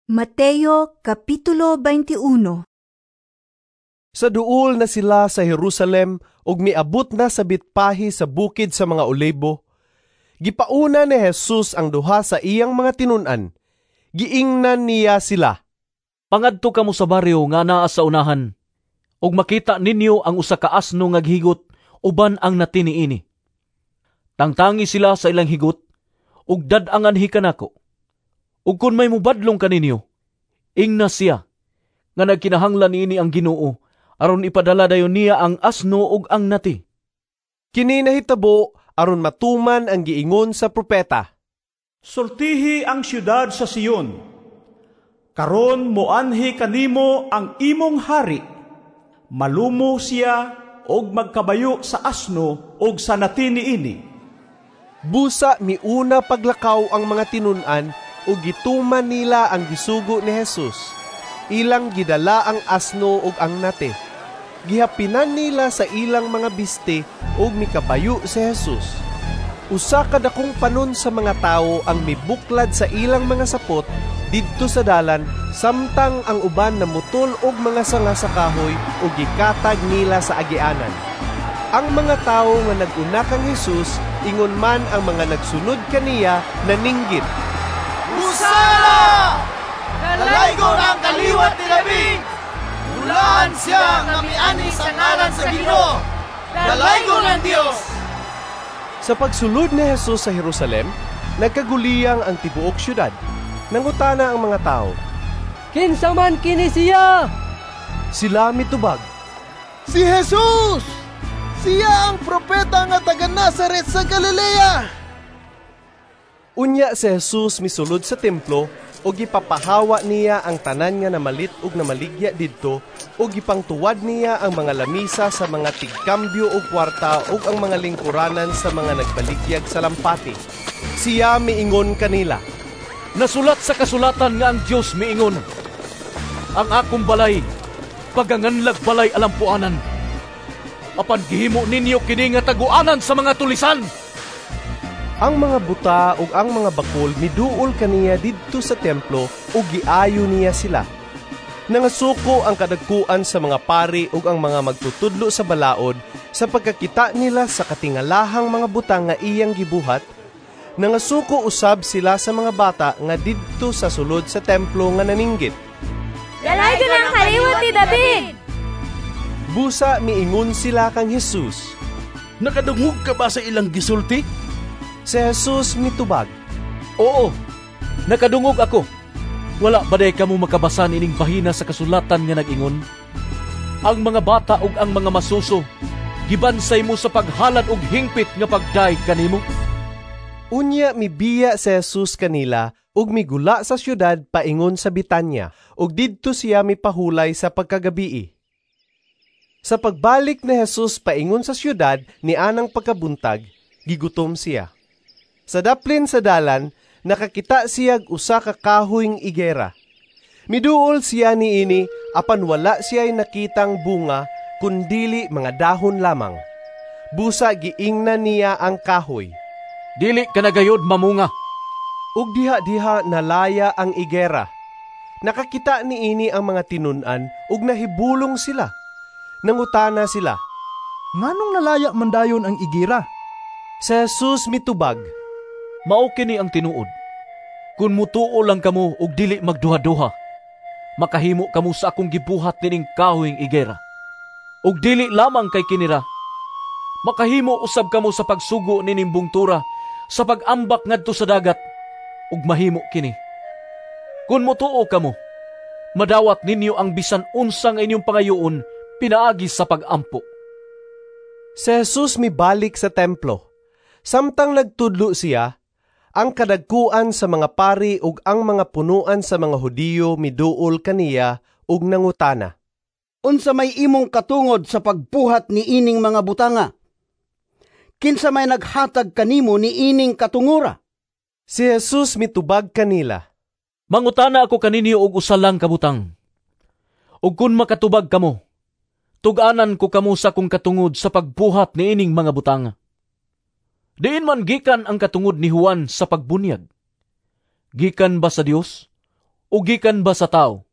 Mateo Kapitulo 21. Sa duol na sila sa Jerusalem ug miabot na sa Betpahe sa bukid sa mga Olibo, gipauna ni Jesus ang duha sa iyang mga tinun-an. Giingnan niya sila, "Pangadto kamo sa baryo nga naa sa unahan, ug makita ninyo ang usa ka asno nga gihigot uban ang nati niini. Tangtangi sila sa ilang higot ug dad-ang anhi kanako. Ug kun may mobadlong kaninyo, ingna siya nga nagkinahanglan niini ang Ginoo aron ipadala dayon niya ang asno ug ang nati." Kini nahitabo aron matuman ang giingon sa propeta. "Sultihi ang siyudad sa Sion. Karon moanhi kanimo ang imong hari. Malumo siya og magkabayo sa asno og sa nati niini." Busa miuna paglakaw ang mga tinun-an ug gituman nila ang gisugo ni Jesus. Ilang gidala ang asno ug ang nati. Gihapinan nila sa ilang mga biste ug mikabayo si Jesus. Usa ka dakong panon sa mga tawo ang mibuklad sa ilang mga sapot didto sa dalan, samtang ang uban namutol og mga sanga sa kahoy ug gikatag nila sa agianan. Ang mga tawo nga nag-una kang Jesus, ingon man ang mga nagsunod kaniya, naninggit. "Hosana! Dalaygon ang kaliwat ni David! Bulahan siya nga miani sa ngalan sa Ginoo! Dalaygon ang Dios!" Sa pagsulod ni Jesus sa Jerusalem, nagkaguliyang ang tibuok syudad. Nangutana ang mga tao, "Kinsa man kini siya?" Sila mitubag, "Si Jesus! Siya ang propeta nga taga Nazaret sa Galilea!" Unya si Jesus misulod sa templo ug gipapahawa niya ang tanan nga namalit ug namaligya didto ug gipangtuwad niya ang mga lamisa sa mga tigkambyo og kwarta ug ang mga lingkuranan sa mga nagbaligyag sa lampati. Siya miingon kanila, "Nasulat sa kasulatan nga ang Dios miingon, 'Ang akong balay paganganlag balay alampuanan.' Apan gihimo ninyo kini nga taguanan sa mga tulisan." Ang mga buta ug ang mga bakol miduol kaniya didto sa templo ug giayo niya sila. Nangasuko ang kadagkuan sa mga pari ug ang mga magtutudlo sa balaod sa pagkakita nila sa katingalahang mga butang nga iyang gibuhat. Nangasuko usab sila sa mga bata nga didto sa sulod sa templo nga naninggit, "Dalaygon ang kaliwat ni David!" Busa miingon sila kang Jesus, "Nakadungog ka ba sa ilang gisulti?" Si Jesus mitubag, "Oo, nakadungog ako. Wala ba day kamo makabasa nining bahina sa kasulatan nga nag-ingon, 'Ang mga bata ug ang mga masuso gibansay mo sa paghalad og hingpit nga pagdayeg kanimo'?" Unya mibiya si Jesus kanila ug migula sa syudad paingon sa Betanya, ug didto siya mipahulay sa pagkagabii. Sa pagbalik ni Jesus paingon sa syudad nianang pagkabuntag, gigutom siya. Sa daplin sa dalan, nakakita siyag usa ka kahoyng igera. Miduol siya niini, apan wala siya'y nakitang bunga, kundili mga dahon lamang. Busa giingnan niya ang kahoy, "Dili ka na gayod mamunga." Ug diha-diha nalaya ang igera. Nakakita niini ang mga tinun-an ug nahibulong sila. Nangutana sila, "Nganong nalaya man dayon ang igera?" Si Jesus mitubag, "Mao kini ang tinuod. Kun mutuo lang kamo ug dili magduha-duha, makahimo kamo sa akong gibuhat nining kahoyng igera. Ug dili lamang kay kinira, makahimo usab kamo sa pagsugo nining bungtura sa pag-ambak ngadto sa dagat, ug mahimo kini. Kun mutuo kamo, madawat ninyo ang bisan unsa nga inyong pangayoon pinaagi sa pag-ampo." Si Jesus mibalik sa templo. Samtang nagtudlo siya, ang kadagkuan sa mga pari ug ang mga punuan sa mga Hudiyo miduol kaniya ug nangutana, "Unsa may imong katungod sa pagbuhat ni ining mga butanga? Kinsa may naghatag kanimo ni ining katungora?" Si Jesus mitubag kanila, "Mangutana ako kaninyo og usa lang ka butang. Ug kun makatubag kamo, tug-anan ko kamo sa akong katungod sa pagbuhat niining mga butanga. Diin man gikan ang katungod ni Juan sa pagbunyag? Gikan ba sa Dios o gikan ba sa tawo?"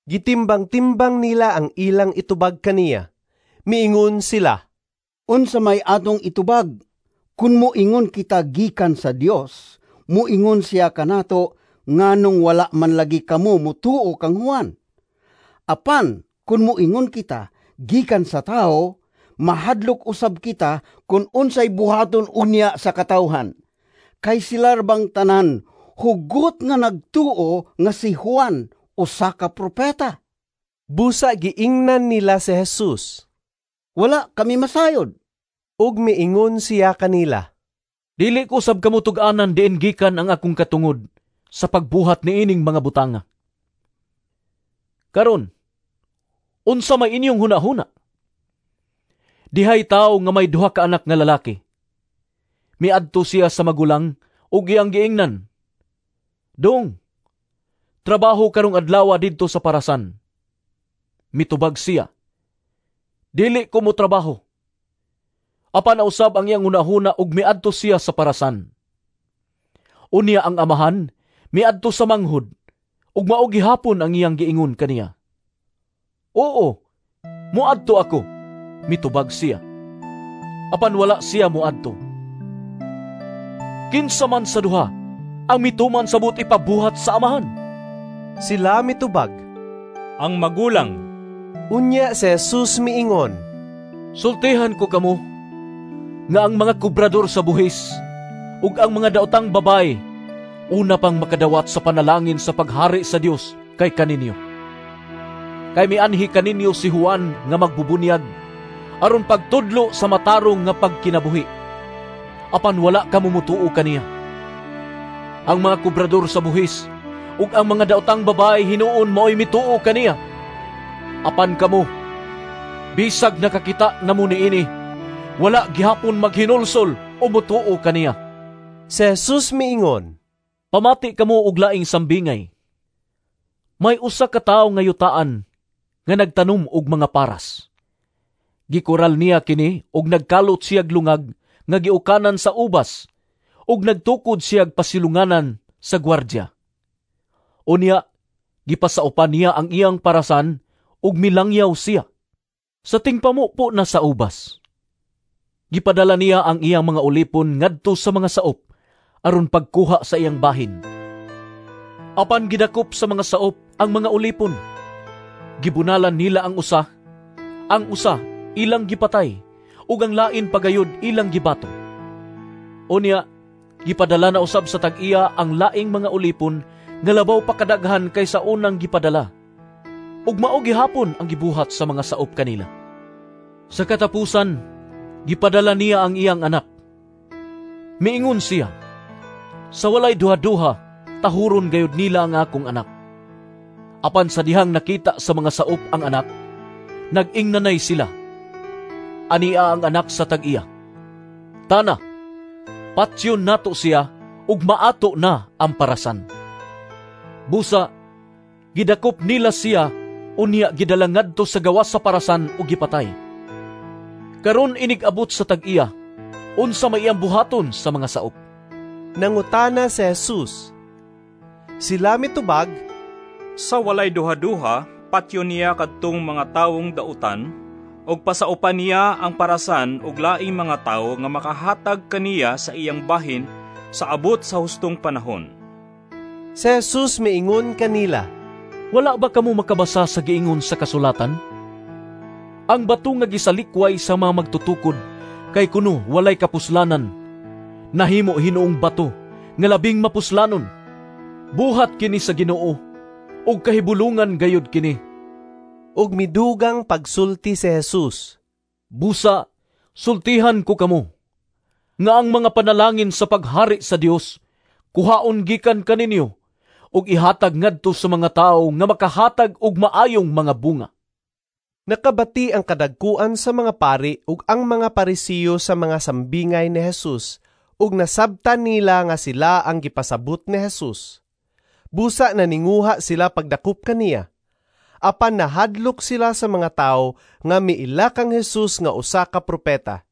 Gitimbang-timbang nila ang ilang itubag kaniya. Miingon sila, "Unsa may atong itubag? Kun moingon kita gikan sa Dios, moingon siya kanato nganong wala man lagi kamo motuo kang Juan. Apan kun moingon kita gikan sa tawo, mahadlok usab kita kun unsay buhaton unya sa katawhan. Kay sila bang tanan hugot nga nagtuo nga si Juan usa ka propeta." Busa giingnan nila si Jesus, "Wala kami masayod." Ug miingon siya kanila, "Dili ko usab kamo tug-anan diin gikan ang akong katungod sa pagbuhat niining mga butanga. Karon, unsa may inyong hunahuna? Dihay tawo nga may duha ka anak nga lalaki. Miadto siya sa magulang ug iyang giingnan, 'Dong, trabaho karong adlaw didto sa parasan.' Mitubag siya, 'Dili ko mo trabaho.' Apan nausab ang iyang hunahuna ug miadto siya sa parasan. Unya ang amahan miadto sa manghod ug mao gihapon ang iyang giingon kaniya. 'Oo, moadto ako,' mitubag siya. Apan wala siya moadto. Kinsa man sa duha ang mituman sa buot ipabuhat sa amahan?" Sila mitubag, "Ang magulang." Unya si Jesus miingon, "Sultihan ko kamo nga ang mga kubrador sa buhis ug ang mga daotang babae una pang makadawat sa panalangin sa paghari sa Dios kay kaninyo. Kay mianhi kaninyo si Juan nga magbubunyag aron pagtudlo sa matarong nga pagkinabuhi. Apan wala kamo mutuo kaniya. Ang mga kubrador sa buhis ug ang mga daotang babae hinuon maoy mituo kaniya. Apan kamo, bisag nakakita namo niini, wala gihapon maghinulsol o mutuo kaniya." Si Jesus miingon, "Pamati kamo og laing sambingay. May usa ka tawo nga yutaan nga nagtanom og mga paras. Gikural niya kini og nagkalot siyag lungag nga giukanan sa ubas ug nagtukod siyag pasilunganan sa gwardya. Unya gipasaupan niya ang iyang parasan ug milangyaw siya. Sa tingpamupo na sa ubas, gipadala niya ang iyang mga ulipon ngadto sa mga saop aron pagkuha sa iyang bahin. Apan gidakop sa mga saop ang mga ulipon. Gibunalan nila ang usa ilang gipatay, ug ang lain pagayod ilang gibato. Unya, gipadala na usab sa tag-iya ang laing mga ulipon nga labaw pa kadaghan kaysa unang gipadala. Ug mao gihapon ang gibuhat sa mga saop kanila. Sa katapusan, gipadala niya ang iyang anak. Miingon siya, 'Sa walay duha-duha, tahuron gayud nila ang akong anak.' Apan sa dihang nakita sa mga saop ang anak, nag-ingnanay sila, 'Ania ang anak sa tag-iya. Tana, patyon nato siya ug maato na ang parasan.' Busa, gidakop nila siya, unya gidala ngadto sa gawas sa parasan ug gipatay. Karon inig-abot sa tag-iya, unsa may iyang buhaton sa mga saop?" Nangutana si Jesus. Sila mitubag, "Sa walay duha-duha, patyon niya kadtong mga tawong dautan, ug pasaupan niya ang parasan og laing mga tawo nga makahatag kaniya sa iyang bahin sa abot sa hustong panahon." Si Jesus miingon kanila, "Wala ba kamo makabasa sa giingon sa kasulatan? Ang bato nga gisalikway sa mga magtutukod kay kuno walay kapuslanan, nahimo hinuong bato nga labing mapuslanon. Buhat kini sa Ginoo, ug kahibulungan gayud kini." Ug midugang pagsulti si Jesus, "Busa, sultihan ko kamo, nga ang mga panalangin sa paghari sa Dios kuhaon gikan kaninyo ug ihatag ngadto sa mga tawo nga makahatag og maayong mga bunga." Nakabati ang kadagkuan sa mga pari ug ang mga Parisiyo sa mga sambingay ni Jesus, ug nasabtan nila nga sila ang gipasabot ni Jesus. Busa naninguha sila pagdakop kaniya. Apan nahadlok sila sa mga tawo nga miila kang Jesus nga usa ka propeta.